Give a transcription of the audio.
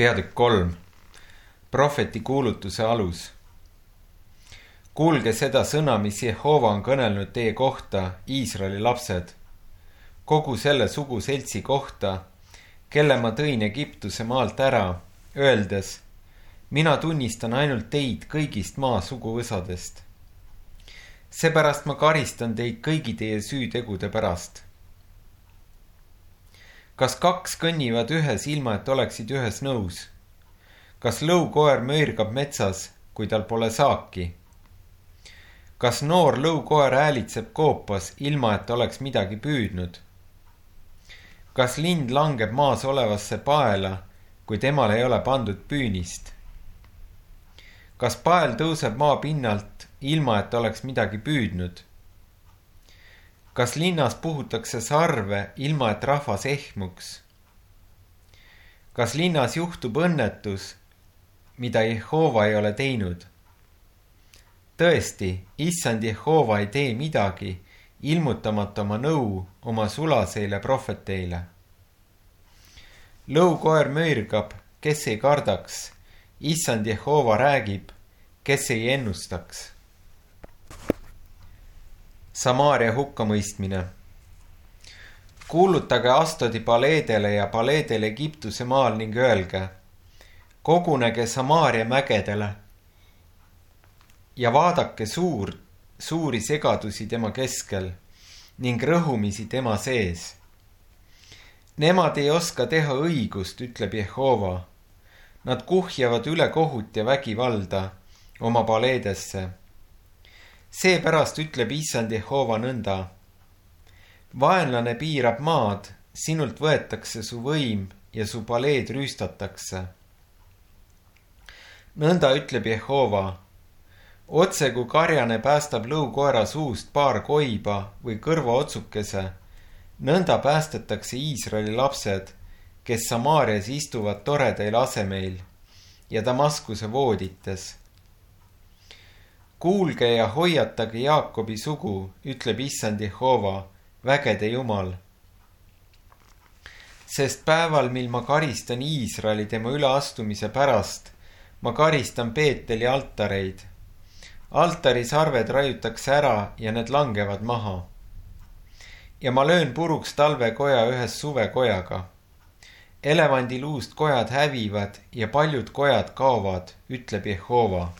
Peatükk 3. Prohveti kuulutuse alus. Kuulge seda sõna, mis Jehova on kõnelnud teie kohta, Iisraeli lapsed, kogu selle suguseltsi kohta, kelle ma tõin Egiptuse maalt ära, öeldes, mina tunnistan ainult teid kõigist maa suguvõsadest. Seepärast ma karistan teid kõigi teie süütegude pärast. Kas kaks kõnnivad ühes ilma, et oleksid ühes nõus? Kas lõukoer möirgab metsas, kui tal pole saaki? Kas noor lõukoer häälitseb koopas, ilma et oleks midagi püüdnud? Kas lind langeb maas olevasse paela, kui temal ei ole pandud püünist? Kas pael tõuseb maa pinnalt, ilma et oleks midagi püüdnud? Kas linnas puhutakse sarve, ilma et rahvas ehmuks? Kas linnas juhtub õnnetus, mida Jehova ei ole teinud? Tõesti, issand Jehova ei tee midagi, ilmutamata oma nõu oma sulaseile prohveteile. Lõukoer möirgab, kes ei kardaks, issand Jehova räägib, kes ei ennustaks. Samaaria hukkamõistmine. Kuulutage Astodi paleedele ja paleedele Egiptuse maal ning öelge, kogunege Samaaria mägedele ja vaadake suuri segadusi tema keskel ning rõhumisi tema sees. Nemad ei oska teha õigust, ütleb Jehova. Nad kuhjavad üle kohut ja vägivalda oma paleedesse. Seepärast ütleb issand Jehova nõnda. Vaenlane piirab maad, sinult võetakse su võim ja su paleed rüüstatakse. Nõnda ütleb Jehova. Otse kui karjane päästab lõukoera suust paar koiba või kõrvaotsukese, nõnda päästetakse Iisraeli lapsed, kes Samaarias istuvad toredail asemeil ja Damaskuse voodites. Kuulge ja hoiatage Jaakobi sugu, ütleb issand Jehova, vägede Jumal. Sest päeval, mil ma karistan Iisraeli tema üleastumise pärast, ma karistan Peeteli altareid. Altari sarved raiutakse ära ja need langevad maha. Ja ma löön puruks talvekoja ühes suvekojaga. Elevandiluust kojad hävivad ja paljud kojad kaovad, ütleb Jehova.